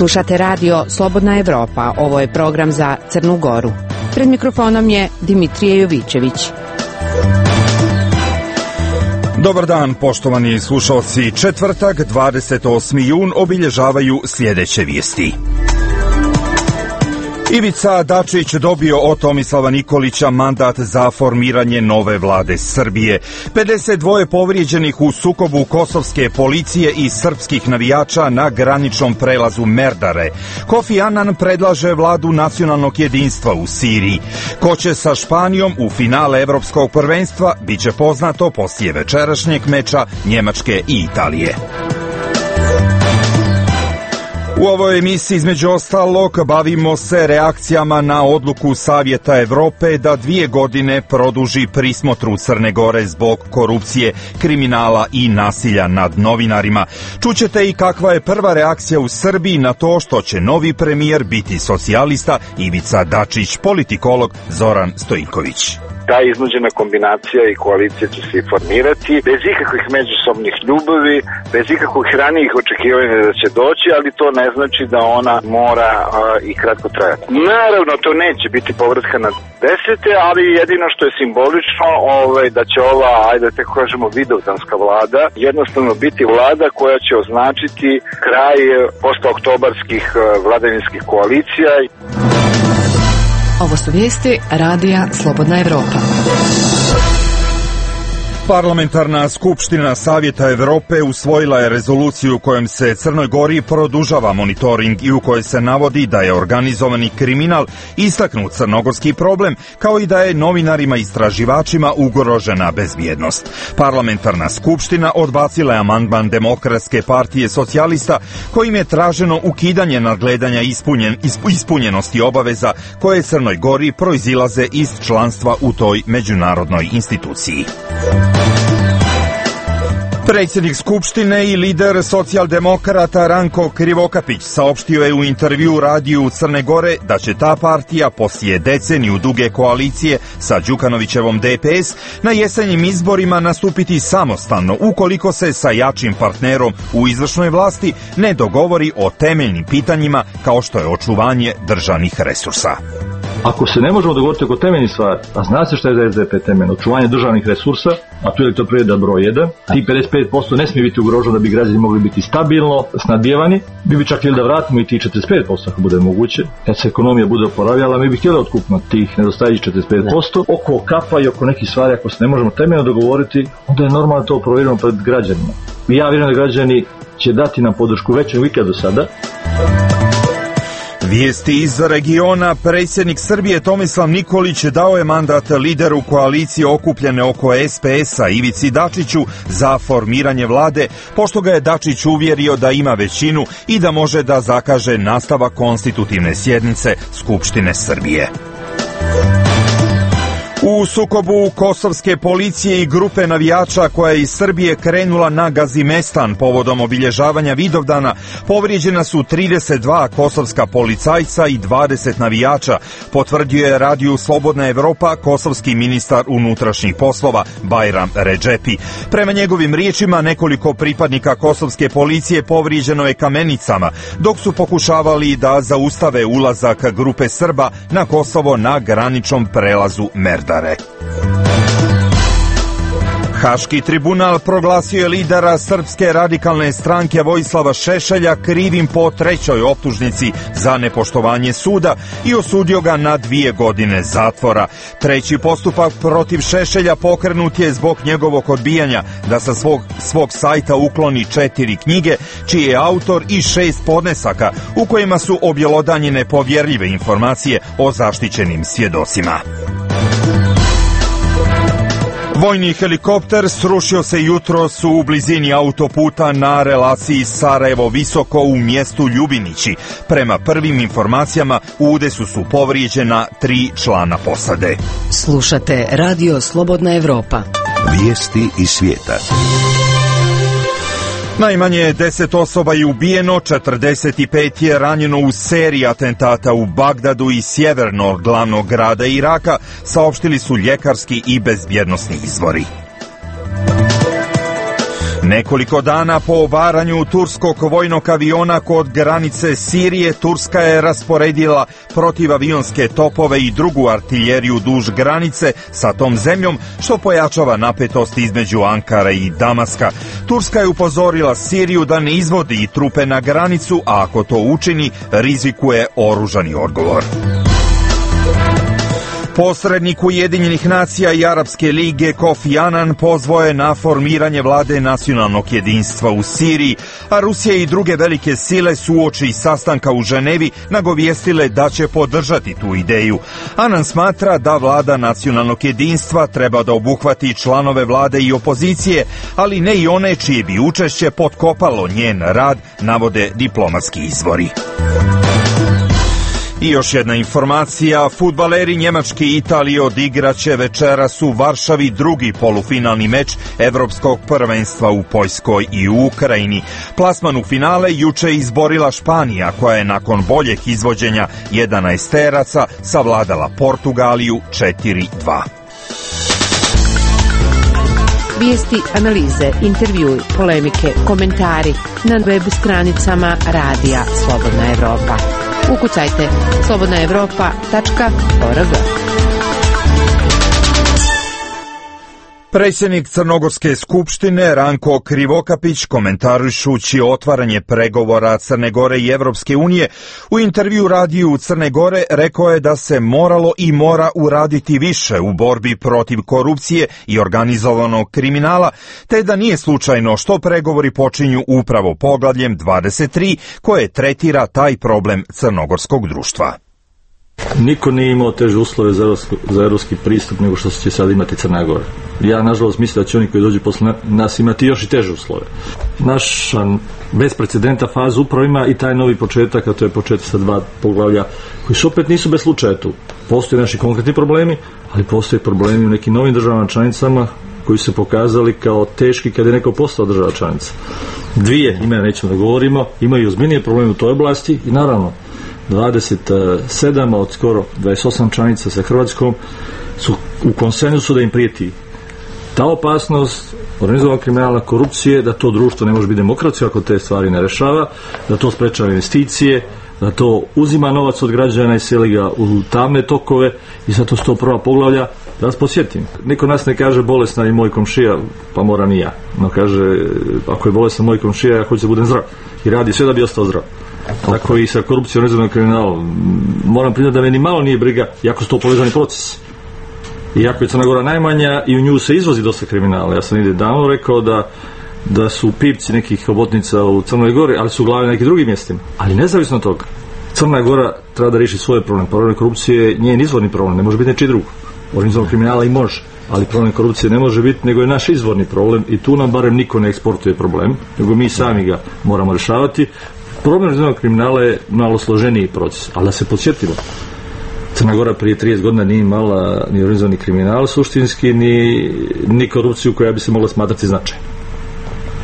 Slušate radio Slobodna Evropa. Ovo je program za Crnu Goru. Pred mikrofonom je Dimitrije Jovićević. Dobar dan, poštovani slušalci. Četvrtak, 28. jun, obilježavaju sljedeće vijesti. Ivica Dačić dobio od Tomislava Nikolića mandat za formiranje nove vlade Srbije. 52 povrijeđenih u sukobu kosovske policije i srpskih navijača na graničnom prelazu Merdare. Kofi Annan predlaže vladu nacionalnog jedinstva u Siriji. Ko će sa Španijom u finale evropskog prvenstva biće poznato poslije večerašnjeg meča Njemačke i Italije. U ovoj emisiji između ostalog bavimo se reakcijama na odluku Savjeta Evrope da 2 godine produži prismotru Crne Gore zbog korupcije, kriminala i nasilja nad novinarima. Čućete i kakva je prva reakcija u Srbiji na to što će novi premijer biti socijalista Ivica Dačić, politikolog Zoran Stojiković. Ta iznuđena kombinacija i koalicija će se formirati bez ikakvih međusobnih ljubavi, bez ikakvih ranijih očekivanja da će doći, ali to ne znači da ona mora i kratko trajati. Naravno, to neće biti povratka na 10. ali jedino što je simbolično da će ova, ajde da tako kažemo, vidovdanska vlada jednostavno biti vlada koja će označiti kraj postooktobarskih vladavinskih koalicija. Ovo su vijesti radija Slobodna Evropa. Parlamentarna skupština Savjeta Evrope usvojila je rezoluciju kojom se Crnoj Gori produžava monitoring i u kojoj se navodi da je organizovani kriminal istaknut crnogorski problem, kao i da je novinarima i istraživačima ugrožena bezbjednost. Parlamentarna skupština odbacila je amandman Demokratske partije socijalista kojim je traženo ukidanje nadgledanja ispunjenosti obaveza koje Crnoj Gori proizilaze iz članstva u toj međunarodnoj instituciji. Predsjednik Skupštine i lider socijaldemokrata Ranko Krivokapić saopštio je u intervjuu radiju Crne Gore da će ta partija poslije deceniju duge koalicije sa Đukanovićevom DPS na jesenjim izborima nastupiti samostalno ukoliko se sa jačim partnerom u izvršnoj vlasti ne dogovori o temeljnim pitanjima kao što je očuvanje državnih resursa. Ako se ne možemo dogovoriti oko temeljnih stvari, a zna se što je za SDP temeljno, očuvanje državnih resursa, a tu je elektroprivreda broj 1, ti 55% ne smije biti ugroženo da bi građani mogli biti stabilno snabdijevani, mi bi čak htjeli da vratimo i tih 45% ako bude moguće, kad se ekonomija bude oporavljala, mi bi htjeli otkupno tih nedostajućih 45%, oko kapa i oko nekih stvari, ako se ne možemo temeljno dogovoriti, onda je normalno to provjerimo pred građanima. I ja vjerujem da građani će dati nam podršku veću nego ikad do sada. Vijesti iz regiona. Predsjednik Srbije Tomislav Nikolić dao je mandat lideru koalicije okupljene oko SPS-a Ivici Dačiću za formiranje vlade, pošto ga je Dačić uvjerio da ima većinu i da može da zakaže nastavak konstitutivne sjednice Skupštine Srbije. U sukobu kosovske policije i grupe navijača koja je iz Srbije krenula na Gazimestan povodom obilježavanja Vidovdana povrijeđena su 32 kosovska policajca i 20 navijača, potvrdio je radiju Slobodna Evropa kosovski ministar unutrašnjih poslova Bajram Redžepi. Prema njegovim riječima, nekoliko pripadnika kosovske policije povrijeđeno je kamenicama, dok su pokušavali da zaustave ulazak grupe Srba na Kosovo na graničnom prelazu Merdare. Haški tribunal proglasio je lidera Srpske radikalne stranke Vojislava Šešelja krivim po 3. optužnici za nepoštovanje suda i osudio ga na 2 godine zatvora. 3. postupak protiv Šešelja pokrenut je zbog njegovog odbijanja da sa svog sajta ukloni 4 knjige, čiji je autor i 6 podnesaka u kojima su objelodanjene povjerljive informacije o zaštićenim svjedocima. Vojni helikopter srušio se jutros u blizini autoputa na relaciji Sarajevo-Visoko u mjestu Ljubinići. Prema prvim informacijama u udesu su povrijeđena 3 člana posade. Slušate radio Slobodna Evropa. Vijesti iz svijeta. Najmanje 10 osoba je ubijeno, 45 je ranjeno u seriji atentata u Bagdadu i sjevernog glavnog grada Iraka, saopštili su ljekarski i bezbjednosni izvori. Nekoliko dana po obaranju turskog vojnog aviona kod granice Sirije, Turska je rasporedila protivavionske topove i drugu artiljeriju duž granice sa tom zemljom, što pojačava napetost između Ankare i Damaska. Turska je upozorila Siriju da ne izvodi trupe na granicu, a ako to učini, rizikuje oružani odgovor. Posrednik Ujedinjenih nacija i Arapske lige Kofi Anan pozvao je na formiranje vlade nacionalnog jedinstva u Siriji, a Rusija i druge velike sile su uoči sastanka u Ženevi nagovijestile da će podržati tu ideju. Anan smatra da vlada nacionalnog jedinstva treba da obuhvati članove vlade i opozicije, ali ne i one čije bi učešće potkopalo njen rad, navode diplomatski izvori. I još jedna informacija, fudbaleri Njemačke i Italije odigraće večeras u Varšavi drugi polufinalni meč Evropskog prvenstva u Poljskoj i u Ukrajini. Plasman u finale juče izborila Španija, koja je nakon boljeg izvođenja 11-teraca savladala Portugaliju 4-2. Vijesti, analize, intervjui, polemike, komentari na web stranicama Radija Slobodna Evropa. Ukucajte slobodnaevropa.org. Predsjednik Crnogorske skupštine Ranko Krivokapić, komentarišući otvaranje pregovora Crne Gore i Evropske unije, u intervju radiju Crne Gore rekao je da se moralo i mora uraditi više u borbi protiv korupcije i organizovanog kriminala, te da nije slučajno što pregovori počinju upravo poglavljem 23 koje tretira taj problem crnogorskog društva. Niko nije imao teže uslove za evropski pristup nego što će sad imati Crna Gora. Ja, nažalost, mislim da će oni koji dođu posle nas imati još i teže uslove. Naša bez precedenta faza upravo ima i taj novi početak, a to je početak sa 2 poglavlja, koji su opet nisu bez slučaja tu. Postoje naši konkretni problemi, ali postoje problemi u nekim novim državama članicama koji su se pokazali kao teški kada je neko postao država članica. 2 imena nećemo da govorimo, imaju ozbiljnije probleme u toj oblasti i naravno 27 od skoro 28 članica sa Hrvatskom su u konsenzusu da im prijeti ta opasnost organizovanog kriminala, korupcije, da to društvo ne može biti demokratsko ako te stvari ne rešava, da to sprečava investicije, da to uzima novac od građana i seli ga u tamne tokove i zato su to prva poglavlja. Da vas podsjetim, niko nas ne kaže bolesna i moj komšija, pa moram i ja. No kaže, ako je bolesna moj komšija, ja hoću da budem zdrav i radi sve da bi ostao zdrav. Tako i sa korupcijom, organizovanog kriminalom. Moram priznati da me ni malo nije briga, jako su to povezani procesi. Iako je Crna Gora najmanja i u nju se izvozi dosta kriminala. Ja sam negdje davno rekao da su pipci nekih hobotnica u Crnoj Gori, ali su glave na nekim drugim mjestima. Ali nezavisno od toga, Crna Gora treba da riješi svoje problem. Problem korupcije je njen izvorni problem, ne može biti nečiji drugo. Organizovanog kriminala i može, ali problem korupcije ne može biti, nego je naš izvorni problem i tu nam barem niko ne eksportuje problem, nego mi sami ga moramo rješavati. Problem organizovanog kriminala je malo složeniji proces, ali da se podsjetimo, Crna Gora prije 30 godina nije imala ni organizovani kriminal suštinski, ni korupciju koja bi se mogla smatrati značajnom.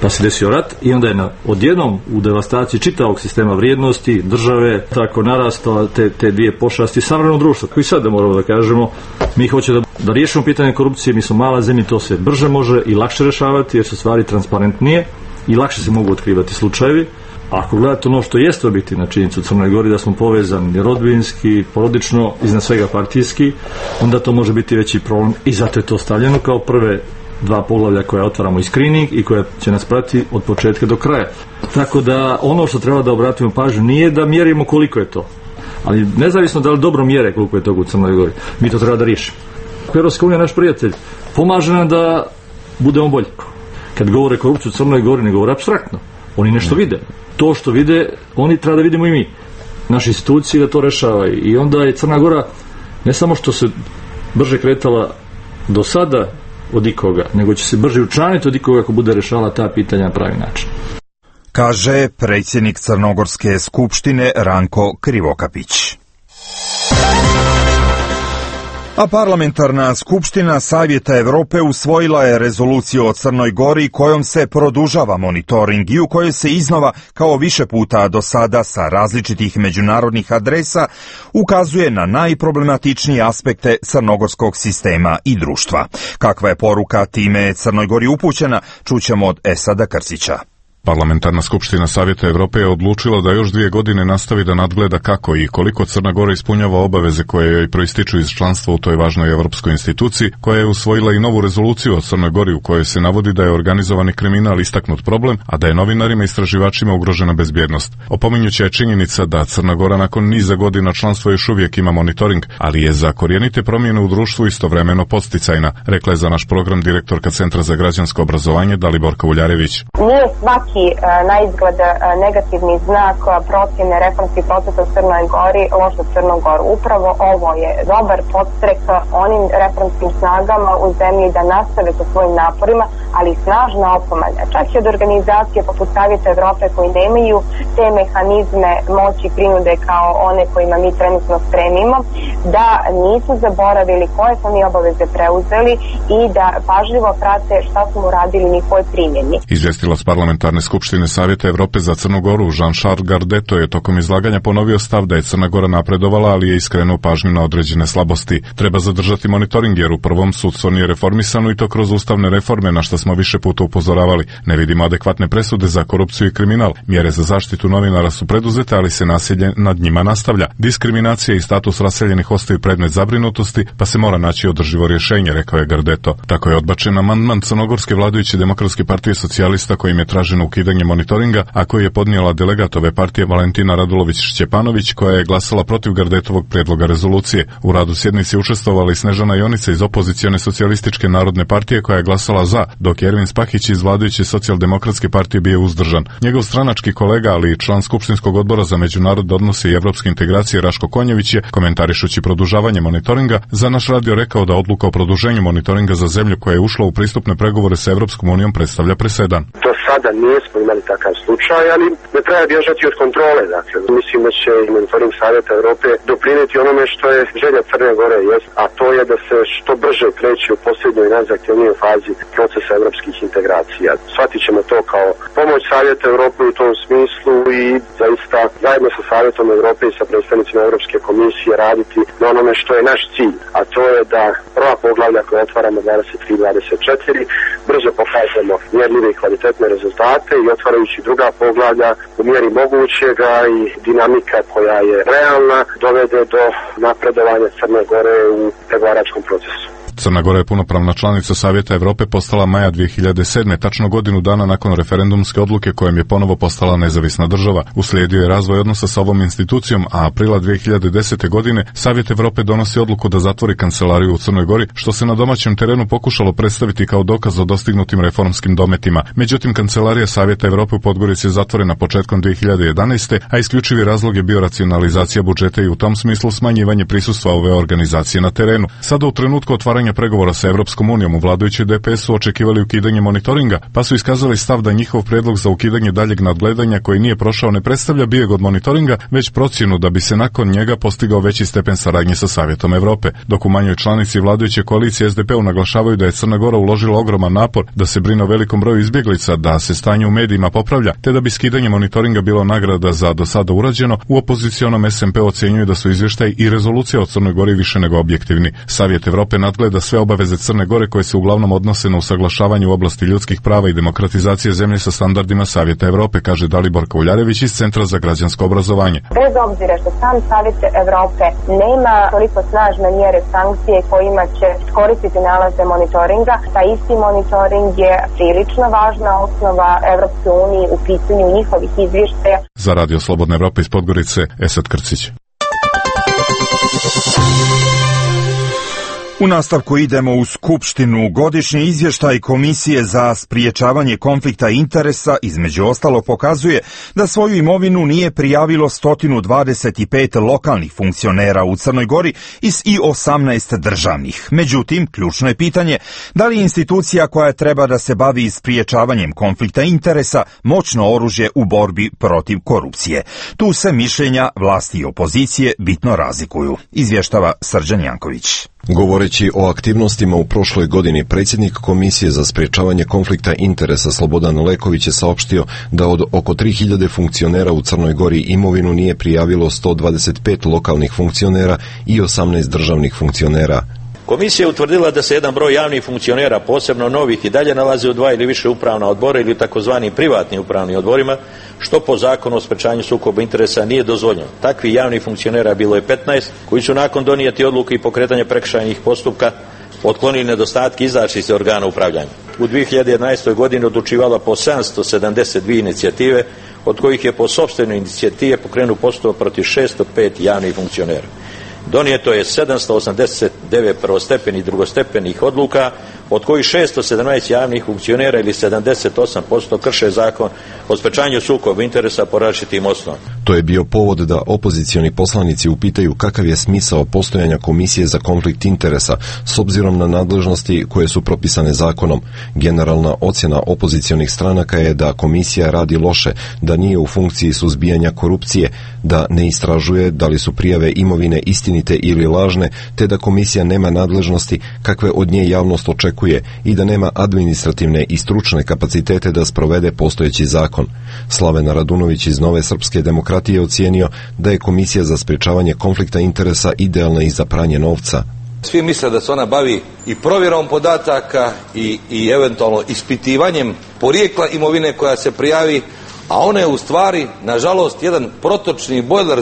Pa se desio rat i onda je odjednom u devastaciji čitavog sistema vrijednosti, države, tako narastala te dvije pošasti savremeno društvo, koji sad da moramo da kažemo, mi hoćemo da riješimo pitanje korupcije, mi smo mala zemlja, to se brže može i lakše rešavati jer su stvari transparentnije i lakše se mogu otkrivati slučajevi. Ako gledate ono što jeste objektivna činjenica u Crnoj Gori, da smo povezani rodbinski, porodično, iznad svega partijski, onda to može biti veći problem i zato je to stavljeno kao prve 2 poglavlja koja otvaramo i screening i koja će nas pratiti od početka do kraja. Tako da ono što treba da obratimo pažnju nije da mjerimo koliko je to, ali nezavisno da li dobro mjere koliko je toga u Crnoj Gori, mi to treba da riješimo. Evropska unija, naš prijatelj, pomaže nam da budemo bolji. Kad govore korupciju u Crnoj Gori, ne govore apstraktno. Oni nešto vide. To što vide, oni treba da vidimo i mi. Naše institucije da to rešavaju. I onda je Crna Gora ne samo što se brže kretala do sada od ikoga, nego će se brže učlaniti od ikoga ako bude rešavala ta pitanja na pravi način. Kaže predsjednik Crnogorske skupštine Ranko Krivokapić. A parlamentarna skupština Savjeta Evrope usvojila je rezoluciju o Crnoj Gori kojom se produžava monitoring i u kojoj se iznova, kao više puta do sada sa različitih međunarodnih adresa, ukazuje na najproblematičnije aspekte crnogorskog sistema i društva. Kakva je poruka time Crnoj Gori upućena, čućemo od Esada Krsića. Parlamentarna skupština Savjeta Evrope je odlučila da još 2 godine nastavi da nadgleda kako i koliko Crna Gora ispunjava obaveze koje joj proističu iz članstva u toj važnoj evropskoj instituciji, koja je usvojila i novu rezoluciju o Crnoj Gori u kojoj se navodi da je organizovani kriminal istaknut problem, a da je novinarima i istraživačima ugrožena bezbjednost. Opominjuća je činjenica da Crna Gora nakon niza godina članstva još uvijek ima monitoring, ali je za korijenite promjene u društvu istovremeno podsticajna, rekla je za naš program direktorka Centra za građansko obrazovanje Daliborka Uljarević. Nije svaki na izgled negativni znak procjene reformskih procesa u Crnoj Gori loš za Crnu Goru. Upravo ovo je dobar podstrek onim reformskim snagama u zemlji da nastave sa svojim naporima, ali snažna opomena. Čak i od organizacije poput Savjeta Evrope koji nemaju te mehanizme moći prinude kao one kojima mi trenutno stremimo, da nisu zaboravili koje smo mi obaveze preuzeli i da pažljivo prate šta smo uradili u njihovoj primjeni. Izvjestilac parlamentarne skupštine Savjeta Evrope za Crnu Goru Jean-Charles Gardeto je tokom izlaganja ponovio stav da je Crna Gora napredovala, ali je iskrenuo pažnju na određene slabosti. Treba zadržati monitoring jer u prvom sudstvo nije reformisano i to kroz ustavne reforme, na što smo više puta upozoravali. Ne vidimo adekvatne presude za korupciju i kriminal. Mjere za zaštitu novinara su preduzete, ali se nasilje nad njima nastavlja. Diskriminacija i status raseljenih ostaju predmet zabrinutosti, pa se mora naći održivo rješenje, rekao je Gardeto. Tako je odbačen amandman crnogorske vladajuće Demokratske partije socijalista kojim je traženo ukidanje monitoringa, a koji je podnijela delegat ove partije Valentina Radulović-Šćepanović, koja je glasala protiv Gardetovog prijedloga rezolucije. U radu sjednici učestvovala i Snežana Jonica iz opozicione socijalističke narodne partije koja je glasala za, dok je Ervin Spahić iz vladajuće socijaldemokratske partije bio uzdržan. Njegov stranački kolega, ali i član Skupštinskog odbora za međunarodne odnose i evropske integracije Raško Konjević je, komentarišući produžavanje monitoringa, za naš radio rekao da odluka o produženju monitoringa za zemlju koja je ušla u pristupne pregovore sa Evropskom unijom predstavlja presedan. Do sada nismo imali takav slučaj, ali ne treba bježati od kontrole. Dakle, mislim da će i monitoring Savjeta Evrope doprinijeti onome što je želja Crne Gore, a to je da se što brže kreće u posljednjoj najzahtjevnijoj fazi procesa evropskih integracija. Shvatit ćemo to kao pomoć Savjeta Evrope u tom smislu i zaista zajedno sa Savjetom Evrope i sa predstavnicima Evropske komisije raditi na onome što je naš cilj, a to je da prva poglavlja koja otvaramo 23-24 brzo pokažemo mjerljive i kvalitetne rezultate i otvarajući druga poglavlja u mjeri mogućega i dinamika koja je realna dovede do napredovanja Crne Gore u pregovaračkom procesu. Crna Gora je punopravna članica Savjeta Evrope postala maja 2007. tačno godinu dana nakon referendumske odluke kojom je ponovo postala nezavisna država. Uslijedio je razvoj odnosa sa ovom institucijom, a aprila 2010. godine Savjet Evrope donosi odluku da zatvori kancelariju u Crnoj Gori, što se na domaćem terenu pokušalo predstaviti kao dokaz o dostignutim reformskim dometima. Međutim, kancelarija Savjeta Evrope u Podgorici je zatvorena početkom 2011. a isključivi razlog je bio racionalizacija budžeta i u tom smislu smanjivanje prisustva ove organizacije na terenu. Sada u trenutku otvaranja pregovora sa Evropskom unijom u vladajućoj DPS su očekivali ukidanje monitoringa, pa su iskazali stav da njihov prijedlog za ukidanje daljeg nadgledanja koji nije prošao ne predstavlja bijeg od monitoringa, već procjenu da bi se nakon njega postigao veći stepen saradnje sa Savjetom Evrope. Dok u manjoj članici vladajuće koalicije SDP-u naglašavaju da je Crna Gora uložila ogroman napor da se brine o velikom broju izbjeglica, da se stanje u medijima popravlja, te da bi skidanje monitoringa bilo nagrada za do sada urađeno, u opozicionom SMP ocjenjuju da su izvještaj i rezolucija o Crnoj Gori više nego objektivni. Savjet Evrope nadgleda sve obaveze Crne Gore koje se uglavnom odnose na usaglašavanje u oblasti ljudskih prava i demokratizacije zemlje sa standardima Savjeta Evrope, kaže Daliborka Uljarević iz Centra za građansko obrazovanje. Bez obzira što sam Savjet Evrope nema toliko snažne mjere sankcije kojima će koristiti nalaze monitoringa, taj isti monitoring je prilično važna osnova Evropske unije u pitanju njihovih izvještaja. Za Radio Slobodna Evropa iz Podgorice, Esad Krcić. U nastavku idemo u Skupštinu. Godišnji izvještaj Komisije za spriječavanje konflikta interesa između ostalog pokazuje da svoju imovinu nije prijavilo 125 lokalnih funkcionera u Crnoj Gori i 18 državnih. Međutim, ključno je pitanje da li institucija koja treba da se bavi spriječavanjem konflikta interesa moćno oružje u borbi protiv korupcije. Tu se mišljenja vlasti i opozicije bitno razlikuju, izvještava Srđan Janković. Govoreći o aktivnostima u prošloj godini, predsjednik Komisije za sprječavanje konflikta interesa Slobodan Leković je saopštio da od oko 3000 funkcionera u Crnoj Gori imovinu nije prijavilo 125 lokalnih funkcionera i 18 državnih funkcionera. Komisija je utvrdila da se jedan broj javnih funkcionera, posebno novih, i dalje nalaze u 2 ili više upravna odbora ili takozvani privatni upravni odborima, što po zakonu o sprečavanju sukoba interesa nije dozvoljeno. Takvih javnih funkcionera bilo je 15, koji su nakon donijeti odluke i pokretanja prekršajnih postupka otklonili nedostatke i izašli iz organa upravljanja. U 2011. godini odlučivala po 772 inicijative, od kojih je po sopstvenoj inicijativi pokrenut postupak protiv 605 javnih funkcionera. Donijeto je 789 prvostepenih i drugostepenih odluka, od kojih 617 javnih funkcionera ili 78% krše zakon o sprečavanju sukoba interesa po različitim osnovama. To je bio povod da opozicioni poslanici upitaju kakav je smisao postojanja Komisije za konflikt interesa s obzirom na nadležnosti koje su propisane zakonom. Generalna ocjena opozicionih stranaka je da komisija radi loše, da nije u funkciji suzbijanja korupcije, da ne istražuje da li su prijave imovine istinite ili lažne, te da komisija nema nadležnosti kakve od nje javnost očekuje i da nema administrativne i stručne kapacitete da sprovede postojeći zakon. Slaven Radunović iz Nove srpske demokratije ocijenio da je Komisija za sprječavanje konflikta interesa idealna i za pranje novca. Svi misle da se ona bavi i provjerom podataka i eventualno ispitivanjem porijekla imovine koja se prijavi, a ona je u stvari, nažalost, jedan protočni bojler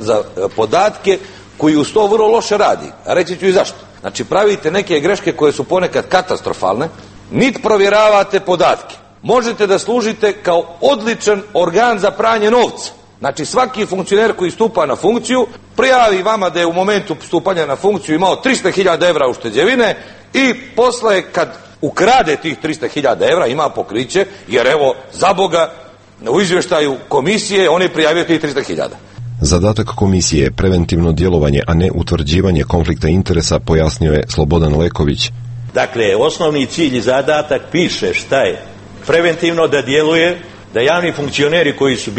za podatke koji uz to vrlo loše radi. A reći ću i zašto. Znači, pravite neke greške koje su ponekad katastrofalne, niti provjeravate podatke. Možete da služite kao odličan organ za pranje novca. Znači, svaki funkcioner koji stupa na funkciju prijavi vama da je u momentu stupanja na funkciju imao 300.000 evra ušteđevine i posle kad ukrade tih 300.000 evra ima pokriće, jer evo, za Boga, u izvještaju komisije on je prijavio tih 300.000. Zadatak komisije je preventivno djelovanje, a ne utvrđivanje konflikta interesa, pojasnio je Slobodan Leković. Dakle, osnovni cilj i zadatak piše šta je preventivno da djeluje, da javni funkcioneri koji su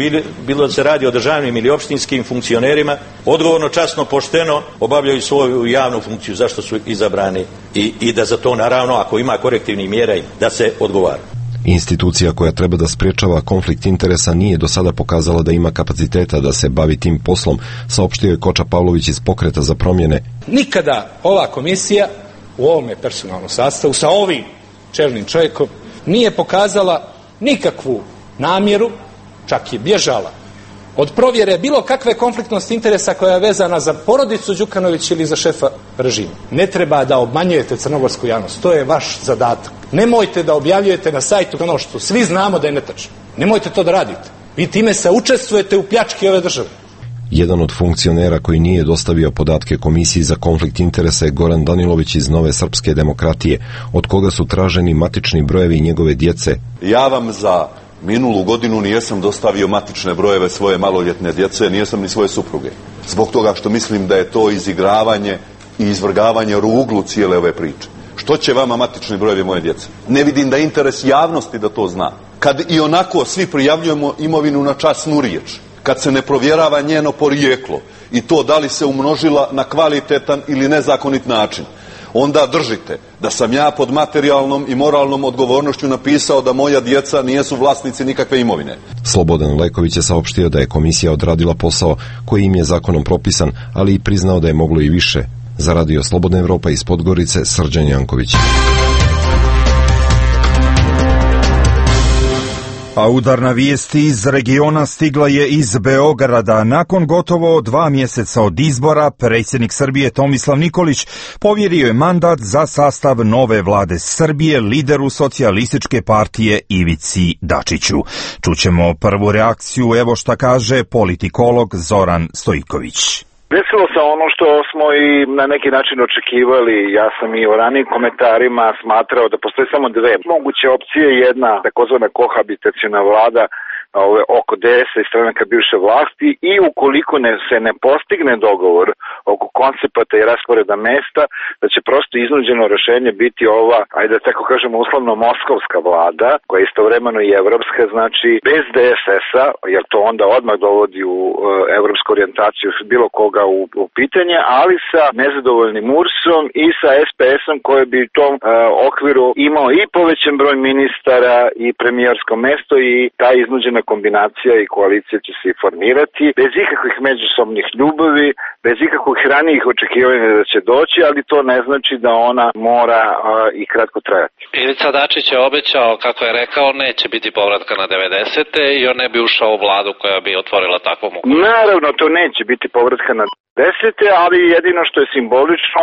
bilo da se radi o državnim ili opštinskim funkcionerima, odgovorno, časno, pošteno obavljaju svoju javnu funkciju, zašto su izabrani i da za to, naravno, ako ima korektivnih mjera, da se odgovara. Institucija koja treba da sprječava konflikt interesa nije do sada pokazala da ima kapaciteta da se bavi tim poslom, saopštio je Koča Pavlović iz Pokreta za promjene. Nikada ova komisija u ovome personalnom sastavu sa ovim čelnim čovjekom nije pokazala nikakvu namjeru, čak je bježala od provjere bilo kakve konfliktnosti interesa koja je vezana za porodicu Đukanović ili za šefa režima. Ne treba da obmanjujete crnogorsku javnost, to je vaš zadatak. Nemojte da objavljujete na sajtu ono što svi znamo da je netačno. Nemojte to da radite. Vi time se učestvujete u pljački ove države. Jedan od funkcionera koji nije dostavio podatke Komisiji za konflikt interesa je Goran Danilović iz Nove srpske demokratije, od koga su traženi matični brojevi njegove djece. Ja vam za minulu godinu nijesam dostavio matične brojeve svoje maloljetne djece, nijesam ni svoje supruge. Zbog toga što mislim da je to izigravanje i izvrgavanje ruglu cijele ove priče. Što će vama matični brojevi moje djece? Ne vidim da je interes javnosti da to zna. Kad i onako svi prijavljujemo imovinu na časnu riječ, kad se ne provjerava njeno porijeklo i to da li se umnožila na kvalitetan ili nezakonit način, onda držite da sam ja pod materijalnom i moralnom odgovornošću napisao da moja djeca nijesu vlasnici nikakve imovine. Slobodan Leković je saopštio da je komisija odradila posao koji im je zakonom propisan, ali i priznao da je moglo i više. Za Radio Slobodna Evropa iz Podgorice, Srđan Janković. A udarna vijest iz regiona stigla je iz Beograda. Nakon gotovo 2 mjeseca od izbora, predsjednik Srbije Tomislav Nikolić povjerio je mandat za sastav nove vlade Srbije lideru socijalističke partije Ivici Dačiću. Čućemo prvu reakciju, evo šta kaže politikolog Zoran Stojković. Desilo se ono što smo i na neki način očekivali. Ja sam i u ranijim komentarima smatrao da postoje samo dve moguće opcije. Jedna takozvana kohabitaciona vlada oko DS-a i stranaka bivše vlasti i ukoliko se ne postigne dogovor oko koncepata i rasporeda mesta, da će prosto iznuđeno rešenje biti ova, ajde da tako kažemo uslovno moskovska vlada, koja je istovremeno i evropska, znači bez DSS-a, jer to onda odmah dovodi u evropsku orijentaciju bilo koga u pitanje, ali sa nezadovoljnim URS-om i sa SPS-om koji bi u tom okviru imao i povećan broj ministara i premijersko mesto i ta iznuđena kombinacija i koalicija će se formirati bez ikakvih međusobnih ljubavi, bez ikakvih ranijih očekivanja da će doći, ali to ne znači da ona mora i kratko trajati. Ivica Dačić je obećao, kako je rekao, neće biti povratka na 90. i on ne bi ušao u vladu koja bi otvorila takvu mogućnost. Naravno, to neće biti povratka na 90. ali jedino što je simbolično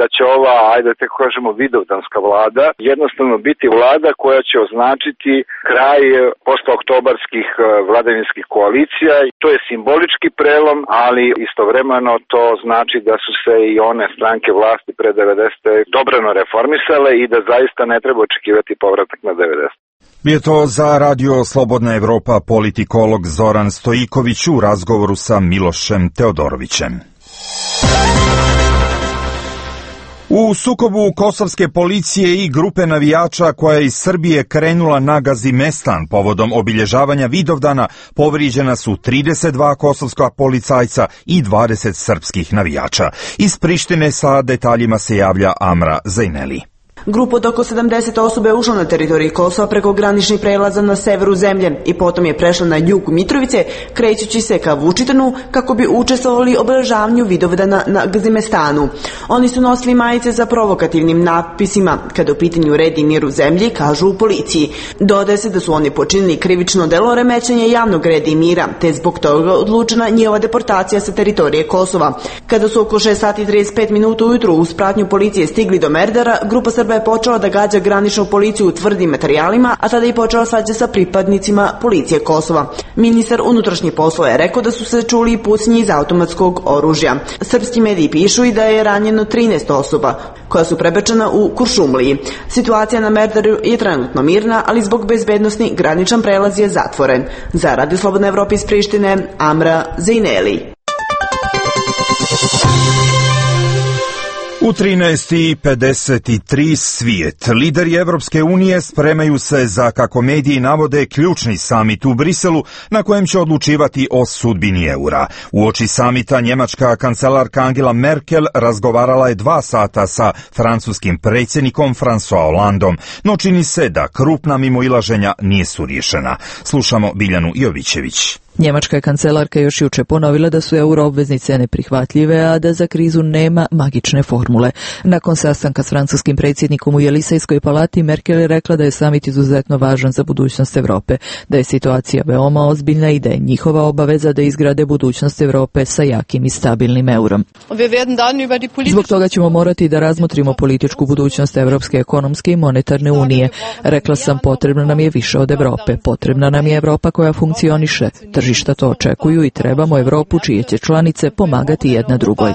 da će ova, ajde da tako kažemo, vidovdanska vlada jednostavno biti vlada koja će označiti kraj postooktobarskih vladavinskih koalicija. To je simbolički prelom, ali istovremeno to znači da su se i one stranke vlasti pre 90. dobrano reformisale i da zaista ne treba očekivati povratak na 90. Je to za Radio Slobodna Evropa politikolog Zoran Stojiković u razgovoru sa Milošem Teodorovićem. U sukobu kosovske policije i grupe navijača koja je iz Srbije krenula na Gazimestan povodom obilježavanja Vidovdana povrijeđena su 32 kosovska policajca i 20 srpskih navijača. Iz Prištine sa detaljima se javlja Amra Zajneli. Grupa od oko 70 osoba je ušla na teritoriji Kosova preko graničnih prelaza na severu zemlje i potom je prešla na jug Mitrovice, krećući se ka Vučitanu kako bi učestvovali u obeležavanju Vidovdana na Gazimestanu. Oni su nosili majice za provokativnim natpisima, kada u pitanju red i mir u zemlji, kažu u policiji. Dodaje se da su oni počinili krivično delo remećenja javnog reda i mira, te zbog toga odlučena njihova deportacija sa teritorije Kosova. Kada su oko 6 sati 35 minuta ujutru uz pratnju policije stigli do Merdara, grupa Srba je počela da gađa graničnu policiju tvrdim materijalima, a tada je počela svađa sa pripadnicima policije Kosova. Ministar unutrašnjih poslova je rekao da su se čuli i pucnji iz automatskog oružja. Srpski mediji pišu i da je ranjeno 13 osoba, koja su prebačena u Kuršumliji. Situacija na Merdaru je trenutno mirna, ali zbog bezbednosti graničan prelaz je zatvoren. Za Radio Slobodna Evropa iz Prištine, Amra Zajneli. U 13:53 svijet. Lideri Evropske unije spremaju se za, kako mediji navode, ključni samit u Briselu na kojem će odlučivati o sudbini eura. Uoči samita njemačka kancelarka Angela Merkel razgovarala je 2 sata sa francuskim predsjednikom François Hollandom, no čini se da krupna mimoilaženja nisu riješena. Slušamo Biljanu Jovićević. Njemačka kancelarka još juče ponovila da su euro obveznice neprihvatljive, a da za krizu nema magične formule. Nakon sastanka s francuskim predsjednikom u Jelisejskoj palati, Merkel je rekla da je samit izuzetno važan za budućnost Europe, da je situacija veoma ozbiljna i da je njihova obaveza da izgrade budućnost Europe sa jakim i stabilnim eurom. Zbog toga ćemo morati da razmotrimo političku budućnost Evropske ekonomske i monetarne unije. Rekla sam, potrebno nam je više od Europe, potrebna nam je Europa koja funkcioniše. Tržišta to očekuju i trebamo Europu čije će članice pomagati jedna drugoj.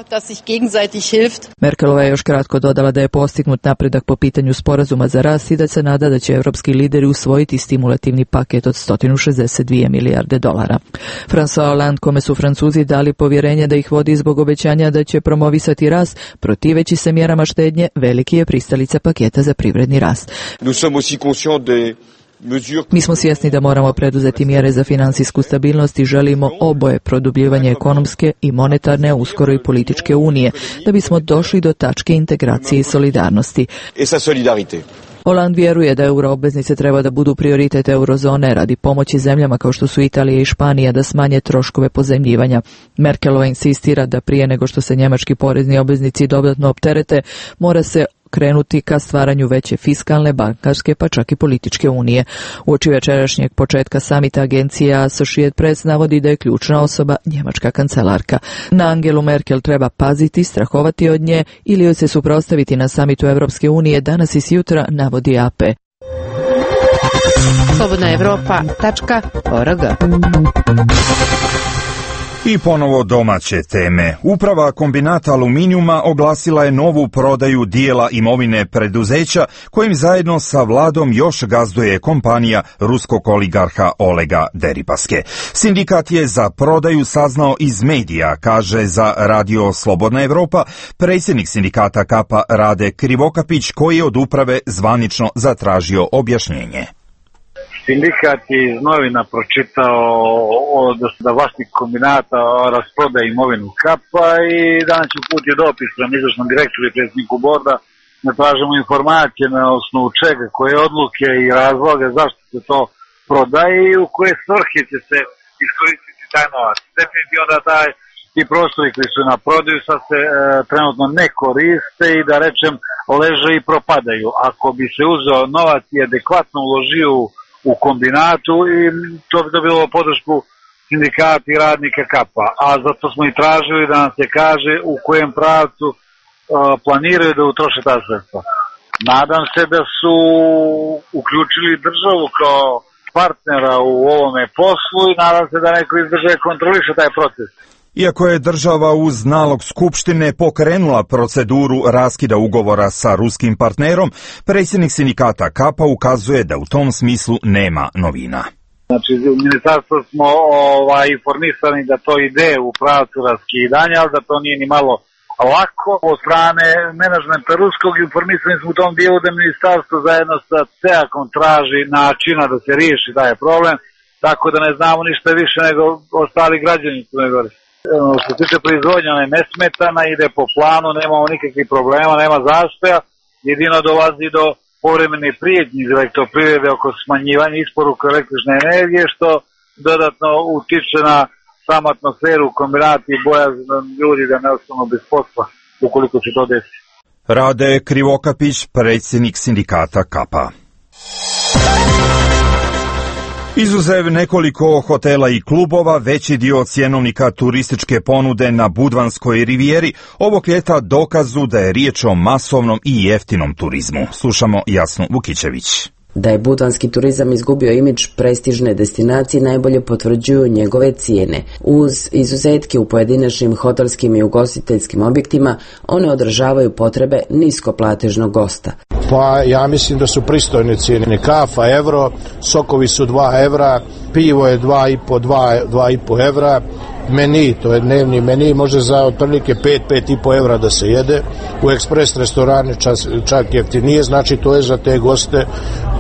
Merkelova je još kratko dodala da je postignut napredak po pitanju sporazuma za rast i da se nada da će evropski lideri usvojiti stimulativni paket od 162 milijarde dolara. François Hollande, kome su Francuzi dali povjerenje da ih vodi zbog obećanja da će promovisati rast, protiveći se mjerama štednje, veliki je pristalica paketa za privredni rast. Mi smo svjesni da moramo preduzeti mjere za financijsku stabilnost i želimo oboje produbljivanje ekonomske i monetarne, a uskoro i političke unije, da bismo došli do tačke integracije i solidarnosti. Hollande vjeruje da euroobveznice treba da budu prioritet eurozone radi pomoći zemljama kao što su Italija i Španija da smanje troškove pozajmljivanja. Merkelova insistira da prije nego što se njemački porezni obveznici dodatno opterete, mora se krenuti ka stvaranju veće fiskalne, bankarske pa čak i političke unije. Uoči večerašnjeg početka samita agencija Associated Press navodi da je ključna osoba njemačka kancelarka. Na Angelu Merkel treba paziti, strahovati od nje ili joj se suprotstaviti na samitu Evropske unije danas i sjutra, navodi AP. Slobodna Evropa.org I ponovo domaće teme. Uprava kombinata aluminijuma oglasila je novu prodaju dijela imovine preduzeća kojim zajedno sa vladom još gazduje kompanija ruskog oligarha Olega Deripaske. Sindikat je za prodaju saznao iz medija, kaže za Radio Slobodna Evropa predsjednik sindikata Kapa Rade Krivokapić, koji je od uprave zvanično zatražio objašnjenje. Sindikat je iz novina pročitao da vlasnik kombinata rasproda imovinu Kapa i danas je uputio dopis prema izvršnom direktoru i predsjedniku borda da tražimo informacije na osnovu čega, koje odluke i razloge zašto se to prodaje i u koje svrhe će se iskoristiti taj novac. Definitivno da ti prostori koji su na prodaju sad se trenutno ne koriste i da rečem leže i propadaju. Ako bi se uzeo novac i adekvatno uložio u kombinatu i to bi dobilo podršku sindikata i radnika Kapa. A zato smo i tražili da nam se kaže u kojem pravcu planiraju da utroše ta sredstva. Nadam se da su uključili državu kao partnera u ovome poslu i nadam se da neko iz države kontroliše taj proces. Iako je država uz nalog Skupštine pokrenula proceduru raskida ugovora sa ruskim partnerom, predsjednik sindikata Kapa ukazuje da u tom smislu nema novina. Znači, u ministarstvu smo informisani da to ide u pravcu raskidanja, ali da to nije ni malo lako. Od strane menadžmenta ruskog informisani smo u tom dijelu da ministarstvo zajedno sa CEAK-om traži načina da se riješi taj problem, tako da ne znamo ništa više nego ostali građani Crne Gore. Što se tiče proizvodnja, ona je nesmetana, ide po planu, nemamo nikakvih problema, nema zastoja, jedino dolazi do povremene prijetnje iz elektroprivrede oko smanjivanja isporuka električne energije, što dodatno utiče na samu atmosferu u kombinati i bojazan ljudi da ne ostanu bez posla ukoliko će to desiti. Rade Krivokapić, predsjednik sindikata Kapa. Izuzev nekoliko hotela i klubova, veći dio cjenovnika turističke ponude na Budvanskoj rivijeri ovog ljeta dokazu da je riječ o masovnom i jeftinom turizmu. Slušamo Jasnu Vukićević. Da je budvanski turizam izgubio imidž prestižne destinacije najbolje potvrđuju njegove cijene. Uz izuzetke u pojedinačnim hotelskim i ugostiteljskim objektima, one odražavaju potrebe niskoplatežnog gosta. Pa ja mislim da su pristojne cijene. Kafa euro, sokovi su 2 evra, pivo je 2,5 evra, meni, to je dnevni meni, može za otprilike 5,5 evra da se jede. U ekspres restorane čak jeftinije, znači to je za te goste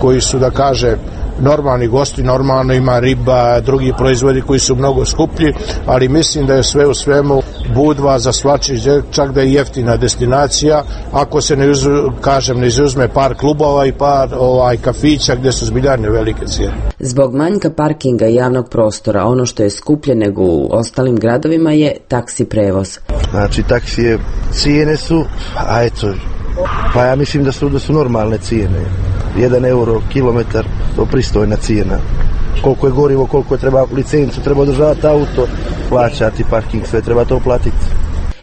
koji su, da kaže, normalni gosti, normalno ima riba, drugi proizvodi koji su mnogo skuplji, ali mislim da je sve u svemu Budva za svačiji, čak da je jeftina destinacija, ako se ne izuzme par klubova i par kafića gdje su zbiljane velike cijene. Zbog manjka parkinga i javnog prostora, ono što je skuplje nego u ostalim gradovima je taksi prevoz. Znači taksije cijene su, pa ja mislim da su normalne cijene. 1 euro kilometar, to pristojna cijena. Koliko je gorivo, koliko je treba licencu, treba održavati auto, plaćati parking, sve treba to platiti.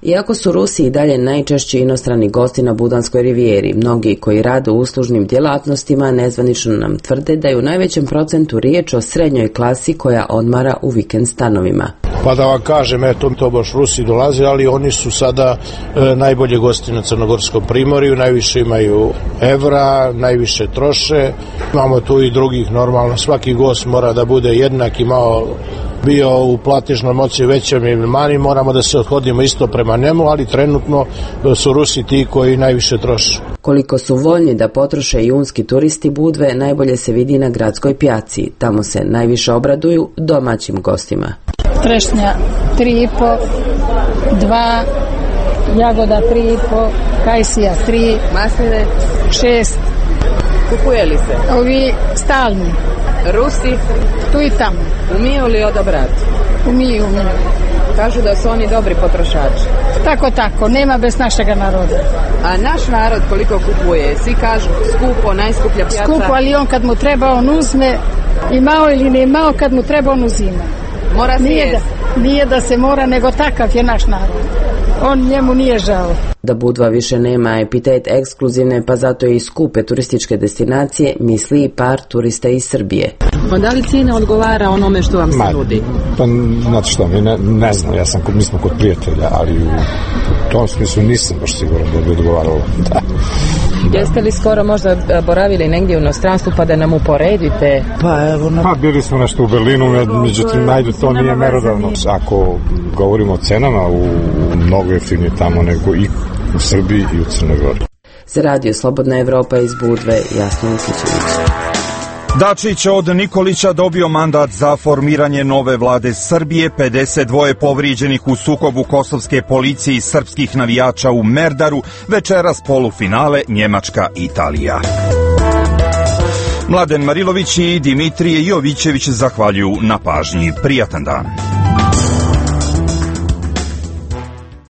Iako su Rusi i dalje najčešći inostrani gosti na Budanskoj rivijeri, mnogi koji rade u uslužnim djelatnostima nezvanično nam tvrde da je u najvećem procentu riječ o srednjoj klasi koja odmara u vikend stanovima. Pa da vam kažem, to baš Rusi dolaze, ali oni su sada najbolje gosti na Crnogorskom primorju, najviše imaju evra, najviše troše. Imamo tu i drugih, normalno, svaki gost mora da bude jednak i malo bio u platežnoj moći većem ili manji, moramo da se odhodimo isto prema njemu, ali trenutno su Rusi ti koji najviše troše. Koliko su voljni da potroše junski turisti Budve najbolje se vidi na gradskoj pijaci. Tamo se najviše obraduju domaćim gostima. Trešnja 3,5, 2, jagoda 3,5, kajsija 3, masline 6. Kupuje li se? Ovi stalni. Rusi? Tu i tamo. Umiju li odabrati? Umiju. Kažu da su oni dobri potrošači. Tako, nema bez našega naroda. A naš narod koliko kupuje? Svi kažu skupo, najskuplja pijaca. Skupo, ali on kad mu treba on uzme, imao ili ne imao, kad mu treba on uzima. Mora se nije da se mora, nego takav je naš narod. on njemu nije žao. Da Budva više nema epitet ekskluzivne, pa zato i skupe turističke destinacije, misli i par turista iz Srbije. Pa da li cijena odgovara onome što vam se nudi? Pa, znate što, ne znam, mi smo kod prijatelja, ali u tom smislu nisam baš siguran da bi odgovaralo. Da. Jeste li skoro možda boravili negdje u inostranstvu pa da nam uporedite? Pa bili smo nešto u Berlinu, međutim, to nije merodavno. Ako govorimo o cenama, mnogo jeftinije tamo nego i u Srbiji i u Crnoj Gori. Za Radio Slobodna Evropa iz Budve, Jasna Ukićević. Dačić od Nikolića dobio mandat za formiranje nove vlade Srbije, 52 povrijeđenih u sukobu kosovske policije i srpskih navijača u Merdaru, večeras polufinale Njemačka-Italija. Mladen Marilović i Dimitrije Jovićević zahvaljuju na pažnji. Prijatan dan.